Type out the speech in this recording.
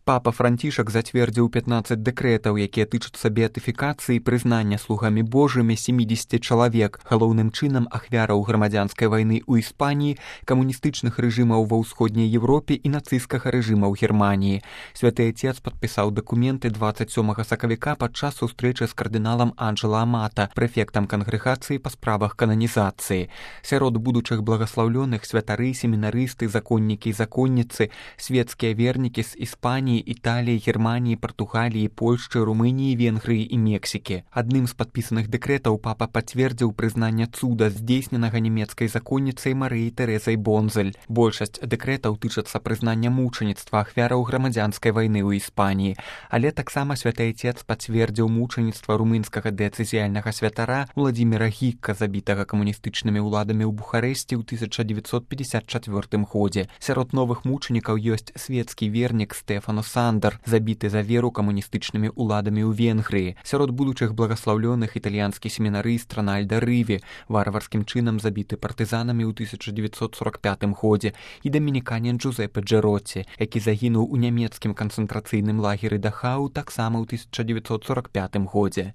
Папа Францішак зацвердзіў 15 дэкрэтаў, якія тычацца беатыфікацыі і прызнання слугамі Божымі 70 чалавек, галоўным чынам ахвяраў грамадзянскай вайны ў Іспаніі, камуністычных рэжымаў ва ўсходняй Европе і нацысцкага рэжыма ў Германіі. Святы Отец падпісаў дакументы 27 сакавіка падчас сустрэчы з кардыналам Анджела Амата, прэфектам кангрэгацыі па справах кананізацыі. Сярод будучых благаслаўлёных святары, семінарысты, законнікі і законніцы, светскія вернікі з Іспаніі, Італіі, Германіі, Партугаліі, Польшчы, Румыніі, Венгрыі і Мексікі. Адным з падпісаных дэкрэтаў папа пацвердзіў прызнанне цуда, здзейсненага нямецкай законніцай Марыяй Тэрэзай Бонзель. Большасць дэкрэтаў тычацца прызнання мучаніцтва ахвяраў грамадзянскай вайны ў Іспаніі, але таксама Святы Отец пацвердзіў мучаніцтва румынскага дыяцэзіяльнага святара Владзіміра Гікка, забітага камуністычнымі ўладамі ў Бухарэсці ў 1954 годзе. Сярод новых мучанікаў ёсць светскі вернік Стэфано Сандар, забіты за веру камуністычнымі ўладамі ў Венгрыі. Сярод будучых благаслаўлёных італьянскі семінарыст Рональда Рыві, варварскім чынам забіты партызанамі ў 1945 годзе, і дамініканін Джузеппе Джэротці, які загінуў у нямецкім канцэнтрацыйным лагеры Дахау таксама ў 1945 годзе.